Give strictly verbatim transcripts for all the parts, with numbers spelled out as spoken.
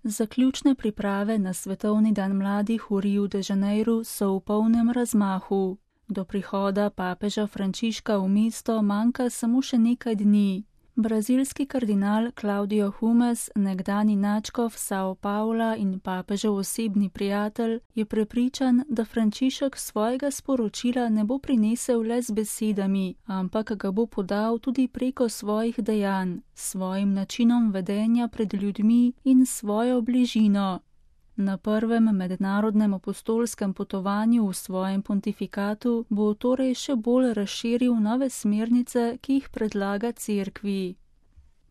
Zaključne priprave na svetovni dan mladih v Riu de Janeiru so v polnem razmahu. Do prihoda papeža Frančiška v mesto manjka samo še nekaj dni. Brazilski kardinal Claudio Humes, nekdani nadškof São Paula in papežev osebni prijatelj, je prepričan, da Frančišek svojega sporočila ne bo prinesel le z besedami, ampak ga bo podal tudi preko svojih dejanj, svojim načinom vedenja pred ljudmi in svojo bližino. Na prvem mednarodnem apostolskem potovanju v svojem pontifikatu bo torej še bolj razširil nove smernice, ki jih predlaga cerkvi.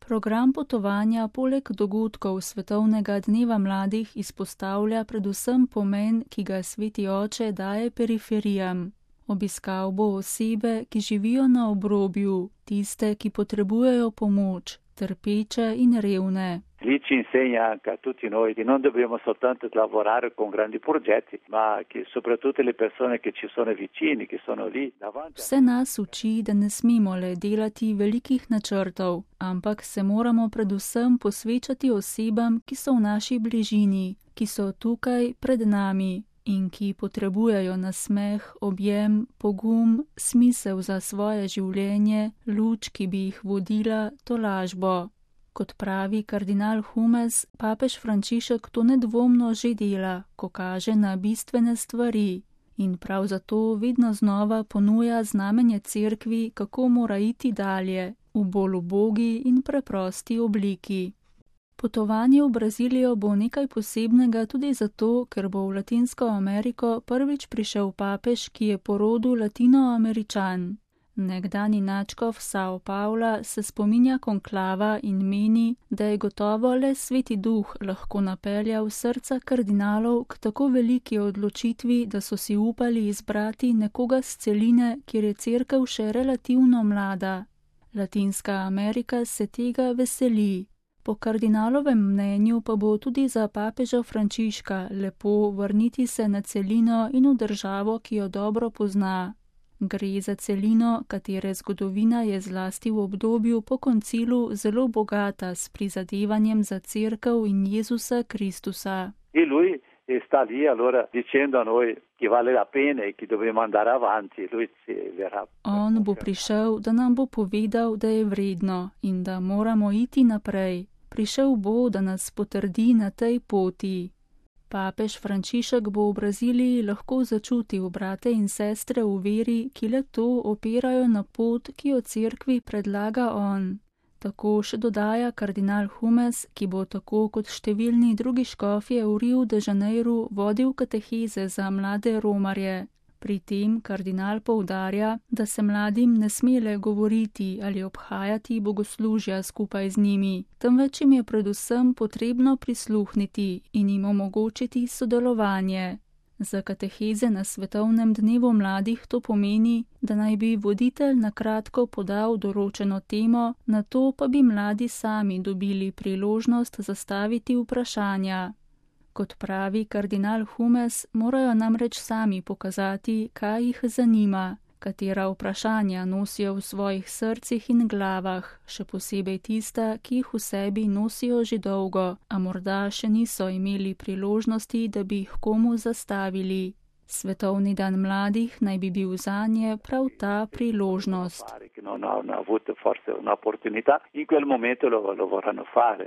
Program potovanja poleg dogodkov Svetovnega dneva mladih izpostavlja predvsem pomen, ki ga Sveti oče daje periferijam. Obiskal bo osebe, ki živijo na obrobju, tiste, ki potrebujejo pomoč, trpeče in revne. Lì ci insegna anche a tutti noi che non dobbiamo soltanto lavorare con grandi progetti, ma che soprattutto le persone che ci sono vicini, che sono lì davanti. Vse nas uči, da ne smemo le delati velikih načrtov, ampak se moramo predvsem posvečati osebam, ki so v naši bližini, ki so tukaj pred nami in ki potrebujejo nasmeh, objem, pogum, smisel za svoje življenje, luč, ki bi jih vodila, tolažbo. Kot pravi kardinal Humes, papež Frančišek to nedvomno že dela, ko kaže na bistvene stvari in prav zato vedno znova ponuja znamenje cerkvi, kako mora iti dalje, v bolj ubogi in preprosti obliki. Potovanje v Brazilijo bo nekaj posebnega tudi zato, ker bo v Latinsko Ameriko prvič prišel papež, ki je po rodu Latinoameričan. Nekdani nadškof São Paula se spominja konklava in meni, da je gotovo le Sveti Duh lahko napeljal srca kardinalov k tako veliki odločitvi, da so si upali izbrati nekoga z celine, kjer je cerkev še relativno mlada. Latinska Amerika se tega veseli. Po kardinalovem mnenju pa bo tudi za papeža Frančiška lepo vrniti se na celino in v državo, ki jo dobro pozna. Gre za celino, katere zgodovina je zlasti v obdobju po koncilu zelo bogata s prizadevanjem za cerkev in Jezusa Kristusa. E lui sta lì allora dicendo a noi che vale la pena e che dobbiamo andare avanti. Lui si verrà. On bo prišel, da nam bo povedal, da je vredno in da moramo iti naprej. Prišel bo, da nas potrdi na tej poti. Papež Frančišek bo v Braziliji lahko začutil brate in sestre v veri, ki le to opirajo na pot, ki jo cerkvi predlaga on. Tako še dodaja kardinal Humes, ki bo tako kot številni drugi škofje v Riu de Janeiru vodil kateheze za mlade romarje. Pri tem kardinal poudarja, da se mladim ne smele govoriti ali obhajati bogoslužja skupaj z njimi, temveč jim je predvsem potrebno prisluhniti in jim omogočiti sodelovanje. Za kateheze na Svetovnem dnevu mladih to pomeni, da naj bi voditelj na kratko podal določeno temo, nato pa bi mladi sami dobili priložnost zastaviti vprašanja. Kot pravi kardinal Humes, morajo namreč sami pokazati, kaj jih zanima, katera vprašanja nosijo v svojih srcih in glavah, še posebej tista, ki jih v sebi nosijo že dolgo, a morda še niso imeli priložnosti, da bi jih komu zastavili. Svetovni dan mladih naj bi bil zanje prav ta priložnost. Non hanno avuto forse un'opportunità, in quel momento lo, lo vorranno fare.